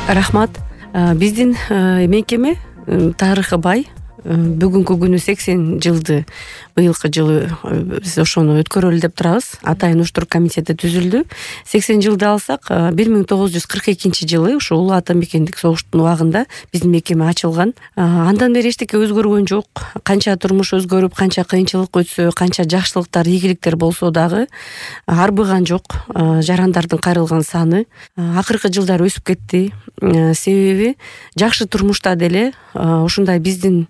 Рахмат. Биздин мекеме тарыхы бай. Бүгүнкү күнү 80 жылды, быйылкы жылы биз ошону өткөрөлү деп турабыз. Атайын уштурук комитети түзүлдү. 80 жылды алсак, 1942 жылы ушу Улуу Ата Мекендик согуштун убагында биздин мекеме ачылган. Андан бери эчтеке өзгөргөн жок. Канча турмуш өзгөрүп, канча кыйынчылык өтсө, канча жакшылыктар, ийгиликтер болсо дагы арбыган жок. Жарандардын кайрылган саны акыркы жылдары өсүп кетти. Себеби жакшы турмушта деле ушундай биздин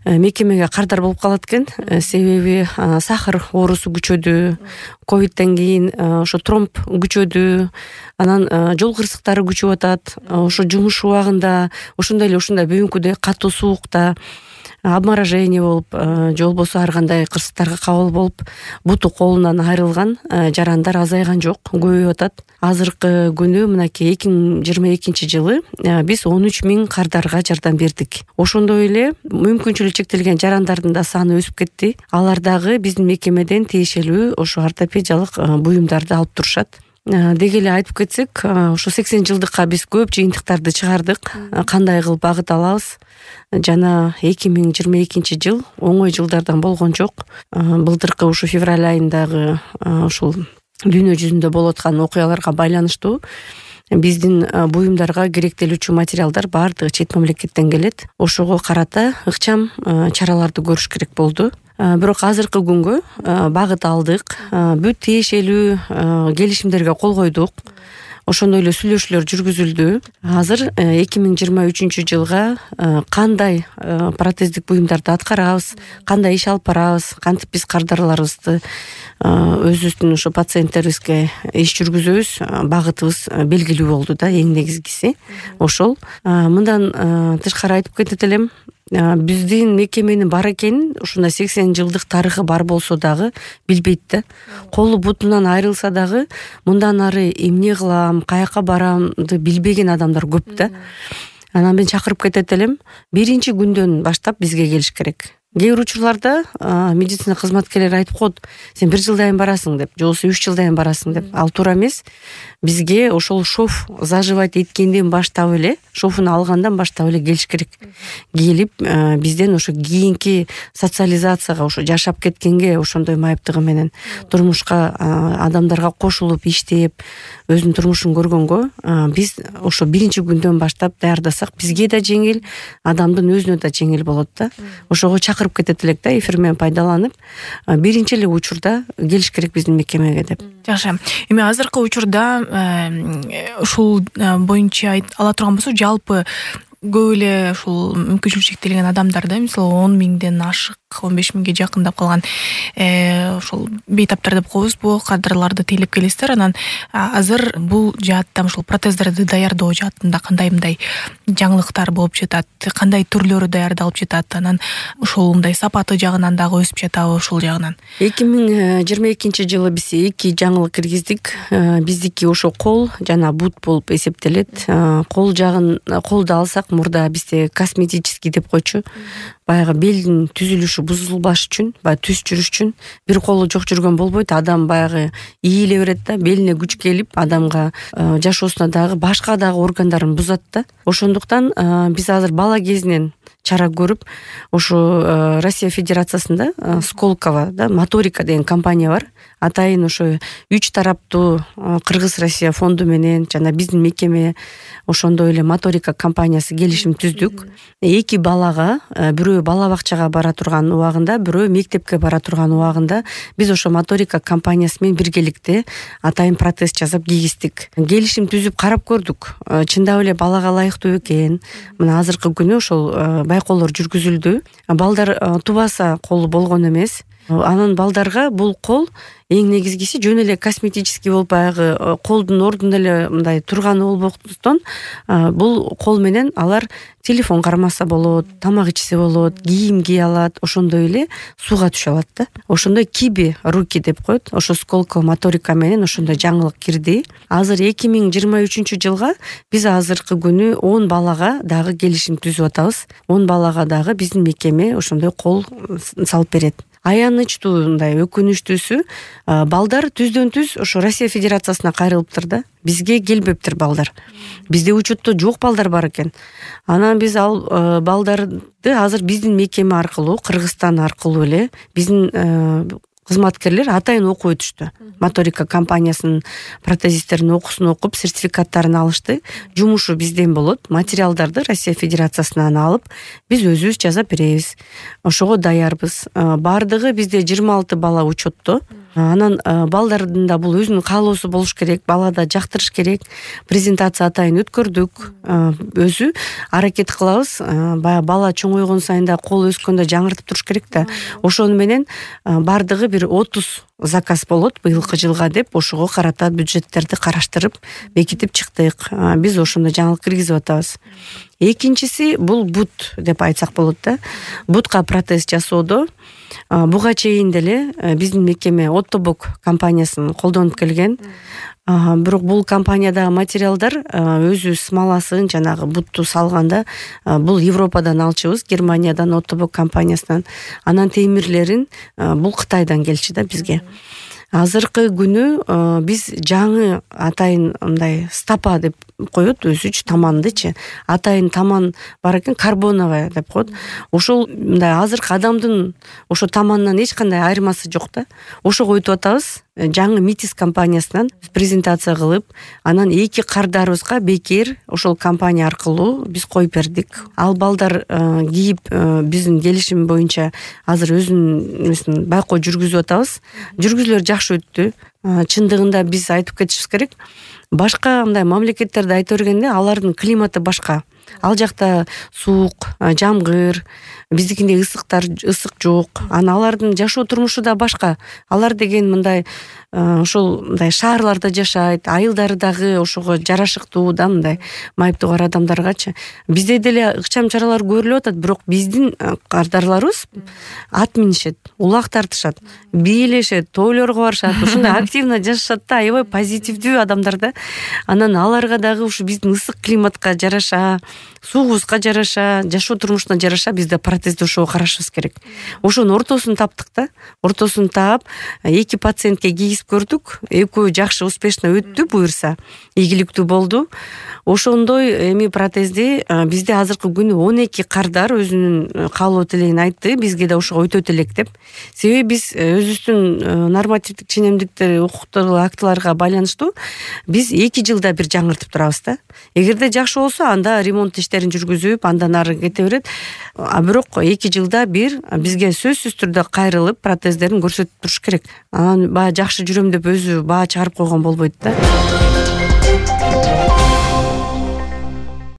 мекемеге кардар болуп калат экен. Себеби сахар оорусу күчөдү, ковидтен кийин ошо тромб күчөдү, анан жол кырсыктары күчөп атат. Ошо жумуш убагында ушундай бүгүнкүдөй катуу суукта обморожение болуп, же болбосо ар кандай кырсыктарга кабыл болуп, буту колунан айрылган жарандар азайган жок, көбөйүп атат. Азыркы күнү мынакей 2022 жылы биз 13 000 кардарга жардам бердик. Ошондой эле мүмкүнчүлүгү чектелген жарандардын да саны өсүп кетти. Алар дагы биздин мекемеден тиешелүү ошо ортопедиялык буюмдарды алып турушат. Деги эле айтып кетсек, ошо 80 жылдыкка биз көп жыйынтыктарды чыгардык. Кандай кылып багыт алабыз? Жана 2022 жыл оңой жылдардан болгон жок. Былтыркы ушу февраль айындагы ушул дүйнө жүзүндө болуп аткан окуяларга байланыштуу биздин буюмдарга керектелүүчү материалдар баардыгы чет мамлекеттен келет. Ошого карата ыкчам чараларды көрүш керек болду. Бирок азыркы күнгө багыт алдык, бүт тиешелүү келишимдерге кол койдук. Ошондой эле сүйлөшүүлөр жүргүзүлдү. Азыр 2023 жылга кандай протездик буюмдарды аткарабыз, кандай иш алып барабыз, кантип биз кардарларыбызды өзүбүздүн ошо пациенттерибизге иш жүргүзөбүз, багытыбыз белгилүү болду да, эң негизгиси. Ошол мындан тышкары айтып кетет элем, биздин мекеменин бар экенин ушундай 80 жылдык тарыхы бар болсо дагы билбейт да. Колу бутунан айрылса дагы мындан ары эмне кылам, каяка барамды билбеген адамдар көп да. Анан мен чакырып кетет элем, биринчи күндөн баштап бизге келиш керек. Кээ бир учурларда медицина кызматкерлери айтып коет, сен 1 жылдайын барасың деп, же болбосо 3 жылдайын барасың деп. Ал туура эмес. Бизге ошол шов заживать эткенден баштап эле, шовун алгандан баштап эле келиш керек. Келип бизден ошо кийинки социализацияга, ошо жашап кеткенге ошондой майыптыгы менен турмушка адамдарга кошулуп иштеп, өзүнүн турмушун көргөнгө биз ошо биринчи күндөн баштап даярдасак, бизге да жеңил, адамдын өзүнө да жеңил болот да. Ошого чакырып кетет элек да, эфир менен пайдаланып, биринчи эле учурда келиш керек биздин мекемеге деп. Жакшы. Эми азыркы учурда ушул боюнча ала турган болсок, жалпы көп эле ушул мүмкүнчүлүгү чектелген адамдарды, мисалы 10 000ден ашык, 15 000ге жакындап калган ушул бейтаптар деп коебузбу, кадрларды тейлеп келесиздер. Анан азыр бул жаатта ушул протездерди даярдоо жаатында кандай жаңылыктар болуп жатат, кандай түрлөрү даярдалып жатат, анан ушул мындай сапаты жагынан дагы өсүп жатабы ушул жагынан? 2022 жылы биз 2 жаңылык киргиздик. Биздики ошо кол жана бут болуп эсептелет. Колду алсак, мурда бизде косметический деп койчу. Баягы белдин түзүлүшү бузулбаш үчүн, баягы түз жүрүш үчүн бир колу жок жүргөн болбойт. Адам баягы ийиле берет да, белине күч келип, адамга жашоосуна дагы башка дагы органдарын бузат да. Ошондуктан биз азыр бала кезинен чара көрүп, ошо Россия Федерациясында Сколково да моторика деген компания бар. Атайын ошо 3 тараптуу Кыргыз-Россия фонду менен жана биздин мекеме ошондой эле моторика компаниясы келишим түздүк. 2 балага, бирөө бала бакчага бара турган убагында, бирөө мектепке бара турган убагында биз ошо моторика компаниясы менен биргеликте атайын протез жасап кийгиздик. Келишим түзүп карап көрдүк. Чындап эле балага ылайыктуу экен. Мына азыркы күнү ошол байкоолор жүргүзүлдү. Балдар тубаса колу болгон эмес. Анан балдарга бул кол эң негизгиси жөн эле косметический болуп, баягы колдун ордунда эле мындай турганы болбоктон, бул кол менен алар телефон кармаса болот, тамак ичсе болот, кийим кие алат, ошондой эле сууга түшө алат да. Ошондой киби руки деп коет. Ошо Сколково моторика менен ошондой жаңылык кирди. Азыр 2023 жылга биз азыркы күнү 10 балага дагы келишим түзүп атабыз. 10 балага дагы биздин мекеме ошондой кол салып берет. аянычтуу мындай өкүнүчтүүсү балдар түздөн түз ошо Россия Федерациясына кайрылыптыр да, бизге келбептир балдар. Бизде учетто жок балдар бар экен. Анан биз ал балдарды азыр биздин мекеме аркылуу, Кыргызстан аркылуу эле биздин кызматкерлер атайын окуп өтүштү. Моторика компаниясынын протезисттеринин окуусун окуп, сертификаттарын алышты. Жумушу бизден болот. Материалдарды Россия Федерациясынан алып, биз өзүбүз жасап беребиз. Ошого даярбыз. Бардыгы бизде 26 бала учетто. Анан балдардын да бул өзүнүн каалоосу болуш керек, балада жактырыш керек. Презентация атайын өткөрдүк. Өзү аракет кылабыз. Баягы бала чоңойгон сайын да, кол өскөндө жаңыртып туруш керек да. Ошону менен бардыгы бир 30 заказ болот быйылкы жылга деп, ошого карата бюджеттерди караштырып, бекитип чыктык. Биз ошондо жаңылык киргизип атабыз. Экинчиси бул бут деп айтсак болот да. Бутка протез жасоодо буга чейин деле биздин мекеме Оттобок компаниясын колдонуп келген. Бирок бул компаниядагы материалдар өзү смоласын, жанагы бутту салганда бул Европадан алчубыз, Германиядан, Оттобок компаниясынан. Анан темирлерин бул Кытайдан келчү да бизге. Азыркы күнү биз жаңы атайын мындай стапа деп коет, өзүчү тамандычы. Атайын таман бар экен, карбоновая деп коет. Ошол мындай азыркы адамдын ошо таманынан эч кандай айырмасы жок да. Ошого өтүп атабыз. Жаңы Митис компаниясынан презентация кылып, анан 2 кардарыбызга бекер ошол компания аркылуу биз коюп бердик. Ал балдар кийип биздин келишим боюнча азыр өзүнүн байкоо жүргүзүп атабыз. Жүргүзүүлөр жакшы өттү. Чындыгында биз айтып кетишибиз керек. Башка мындай мамлекеттерди айта бергенде алардын климаты башка. Ал жакта суук, жамгыр, биздикинде ысык жок. Алардын жашоо турмушу да башка. Алар деген мындай ошол мындай шаарларда жашайт, айылдары дагы ошого жарашыктуу да, мындай майыптуу адамдаргачы. Бизде деле ыкчам чаралар көрүлүп атат, бирок биздин кардарларыбыз ат минишет, улак тартышат, бийлешет, тойлорго барышат, ушундай активно жашашат да, аябай позитивдүү адамдар да. Анан аларга дагы ушу биздин ысык климатка жараша, суугубузга жараша, жашоо турмушуна жараша бизде протезди ошого карашыбыз керек. Ошонун ортосун таптык да. Ортосун таап, 2 пациентке кийгизип көрдүк. Экөө жакшы успешно өттү, буюрса, ийгиликтүү болду. Ошондой эми протезди бизде азыркы күнү 12 кардар өзүнүн каалоо тилегин айтты, бизге да ошого өтөт элек деп. Себеби биз өзүбүздүн нормативдик ченемдиктер, укуктук актыларга байланыштуу биз 2 жылда бир жаңыртып турабыз да. Эгерде жакшы болсо, анда ремонт иштерин жүргүзүп, андан ары кете берет. Бирок 2 жылда бир бизге сөзсүз түрдө кайрылып протездерин көрсөтүп туруш керек. Анан баягы жакшы жүрөм деп өзү баа чыгарып койгон болбойт да.